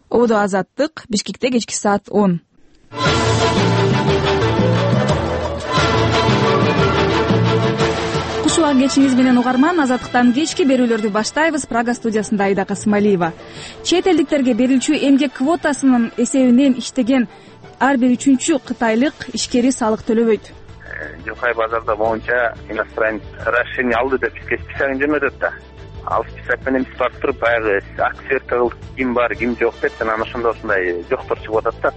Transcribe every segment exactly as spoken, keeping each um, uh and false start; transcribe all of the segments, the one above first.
Ободо Азаттык, Бишкекте кечки саат он. Куш убак кечиңиз менен угарман, Азаттыктан кечки берүүлөрдү баштайбыз. Прага студиясында Айда Касымалиева. Чет элдиктерге берилчү эмгек квотасынын эсебинен иштеген ар бир үчүнчү кытайлык ишкери салык төлөбөйт. Жакай базарда боюнча иностранец расширение алды деп бизге списогун жөнөтөт да. Ал список менен биз барып туруп баягы акция кылып ким бар, ким жок деп анан ошондо ушундай жоктор чыгып атат да.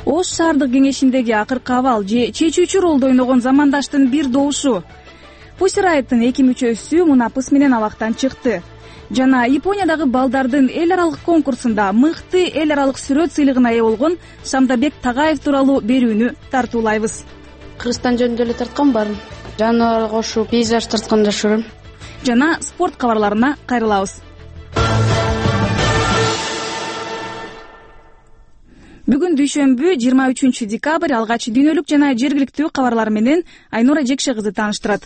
Ош шаардык кеңешиндеги акыркы абал же чечүүчү ролду ойногон замандаштын бир добушу Pussy Riot'тын эки мүчөсү мунапыс менен абактан чыкты. Жана Япониядагы балдардын эл аралык конкурсунда мыкты эл аралык сүрөт сыйлыгына ээ болгон Шамдабек Тагаев тууралуу берүүнү тартуулайбыз. Кыргызстан жөнүндө эле тарткан баарын. Жаныбар кошуп, пейзаж тарткан жакшы көрөм. Жана спорт кабарларына кайрылабыз. Бүгүн дүйшөмбү жыйырма үчүнчү декабрь, алгач дүйнөлүк жана жергиликтүү кабарлар менен Айнура Жекше кызы тааныштырат.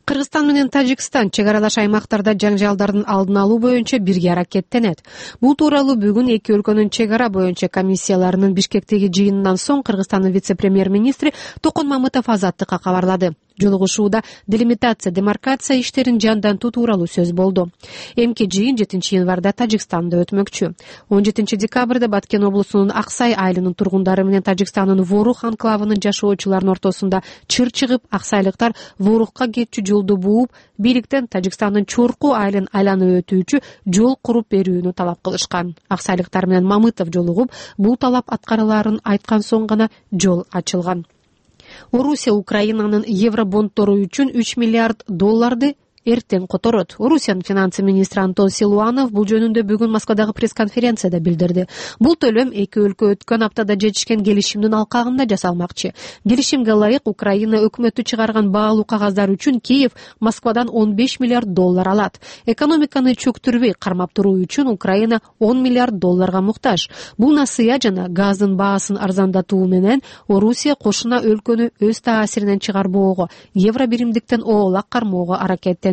Кыргызстан менен Тажикстан чек аралаш аймактарда жаңжалдардын алдын алуу боюнча бирге аракеттенет. Бул тууралуу бүгүн эки өлкөнүн чек ара боюнча комиссияларынын Бишкектеги жыйынынан соң Кыргызстандын вице-премьер-министри Токон Мамытов Азаттыкка кабарлады. Жолугушууда делимитация, демаркация иштерин жандантуу тууралуу сөз болду. Эмки жыйын жетинчи январда Тажикстанда өтмөкчү. он жетинчи декабрда Баткен облусунун Аксай айылынын тургундары менен Тажикстандын Ворух анклавынын жашоочуларынын ортосунда чыр чыгып, аксайлыктар Ворухка кетчү жолду бууп, бийликтен Тажикстандын Чорку айылын айланып өтүүчү жол куруп берүүнү талап кылышкан. Аксайлыктар менен Мамытов жолугуп, бул талап аткарылаарын айткан соң гана жол ачылган. Орусия Украинанын евробондтору үчүн үч миллиард долларды эртең которот. Орусиянын финансы министри Антон Силуанов бул жөнүндө бүгүн Москвадагы пресс-конференцияда билдирди. Бул төлөм эки өлкө өткөн аптада жетишкен келишимдин алкагында жасалмакчы. Келишимге ылайык Украина өкмөтү чыгарган баалуу кагаздар үчүн Киев Москвадан он беш миллиард доллар алат. Экономиканы чөктүрбөй кармап туруу үчүн Украина он миллиард долларга муктаж. Бул насыя жана газдын баасын арзандатуу менен Орусия кошуна өлкөнү өз таасиринен чыгарбоого, евро биримдиктен оолак кармоого аракеттенүүдө.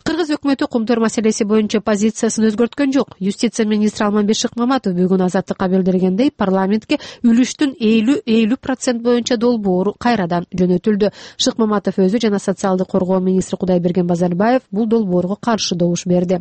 Кыргыз өкмөтү кумтөр маселеси боюнча позициясын өзгөрткөн жок. Юстиция министри Алмамбет Шыкмаматов бүгүн Азаттыкка билдиргендей, парламентке үлүштүн элүү процент боюнча долбоору кайрадан жөнөтүлдү. Шыкмаматов өзү жана социалдык коргоо министри Кудайберген Базарбаев бул долбоорго каршы добуш берди.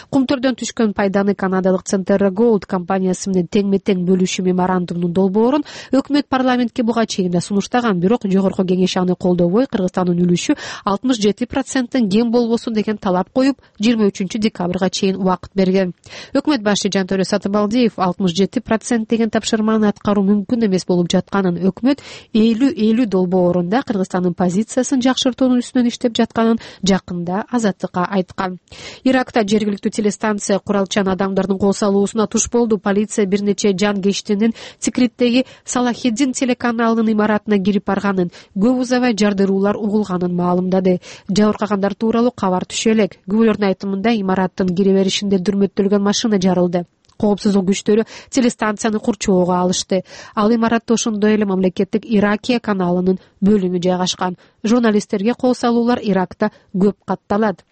Кумтөрдөн түшкөн пайданы канадалык Centerra Gold компаниясы менен теңме-тең бөлүшүү меморандумунун долбоорун өкмөт парламентке буга чейин да сунуштаган, бирок жогорку кеңеш аны колдобой, Кыргызстандын үлүшү алтымыш жети проценттен кем болбосун деген талап коюп, жыйырма үчүнчү декабрга чейин убакыт берген. Өкмөт башы Жантөрө Сатыбалдиев алтымыш жети процент деген тапшырманы аткаруу мүмкүн эмес болуп жатканын, өкмөт элүү элүү долбоорунда Кыргызстандын позициясын жакшыртуунун үстүнөн иштеп жатканын жакында Азаттыкка айткан. Иракта жергиликтүү телестанция куралчан адамдардын кол салуусуна туш болду. Полиция бир нече жан кештинин Тикриттеги Салахиддин телеканалынын имаратына кирип барганын, көп узабай жардыруулар угулганын маалымдады. Жабыркагандар тууралуу кабар түшө элек. Күбөлөрдүн айтымында имараттын кире беришинде дүрмөттөлгөн машина жарылды. Коопсуздук күчтөрү телестанцияны курчоого алышты. Ал имаратта ошондой эле мамлекеттик Иракия каналынын бөлүмү жайгашкан. Журналисттерге кол салуулар Иракта көп катталат.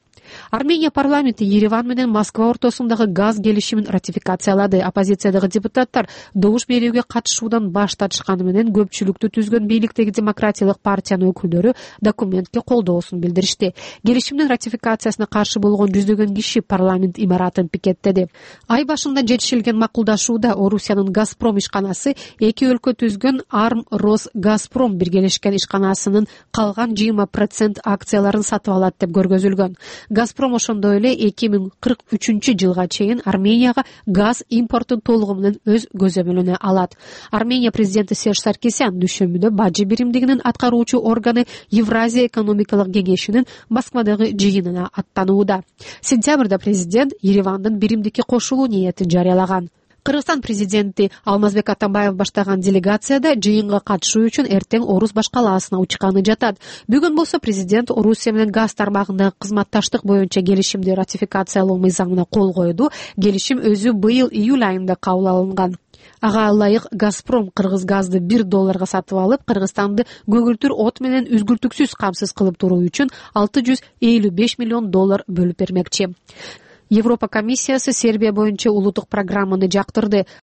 Армения парламенти Ереван менен Москва ортосундагы газ келишимин ратификациялады. Оппозициядагы депутаттар добуш берүүгө катышуудан баш тартышканы менен көпчүлүктү түзгөн бийликтеги демократиялык партиянын өкүлдөрү документке колдоосун билдиришти. Келишимдин ратификациясына каршы болгон жүздөгөн киши парламент имаратын пикеттеди. Ай башында жетишилген макулдашууда Орусиянын Газпром ишканасы эки өлкө түзгөн Арм Рос Газпром биргелешкен ишканасынын калган жыйырма процент акцияларын сатып алат деп көргөзүлгөн. Газпром ошондой эле эки миң кырк үчүнчү жылга чейин Арменияга газ импортун толугу менен өз көзөмөлүнө алат. Армения президенти Серж Саркисян дүйшөмбүдө бажы биримдигинин аткаруучу органы Евразия экономикалык кеңешинин Москвадагы жыйынына аттанууда. Сентябрда президент Еревандын биримдикке кошулуу ниетин жарыялаган. Кыргызстан президенти Алмазбек Атамбаев баштаган делегацияда жыйынга катышуу үчүн эртең Орус баш калаасына учканы жатат. Бүгүн болсо президент Орусия менен газ тармагындагы кызматташтык боюнча келишимди ратификациялоо мыйзамына кол койду. Келишим өзү быйыл июль айында кабыл алынган. Ага ылайык Газпром кыргыз газды бир долларга сатып алып, Кыргызстанды көгүлтүр от менен үзгүлтүксүз камсыз кылып туруу үчүн алты жүз элүү беш миллион доллар бөлүп бермекчи. Европа комиссиясы Сербия боюнча улуттук программаны жактырды.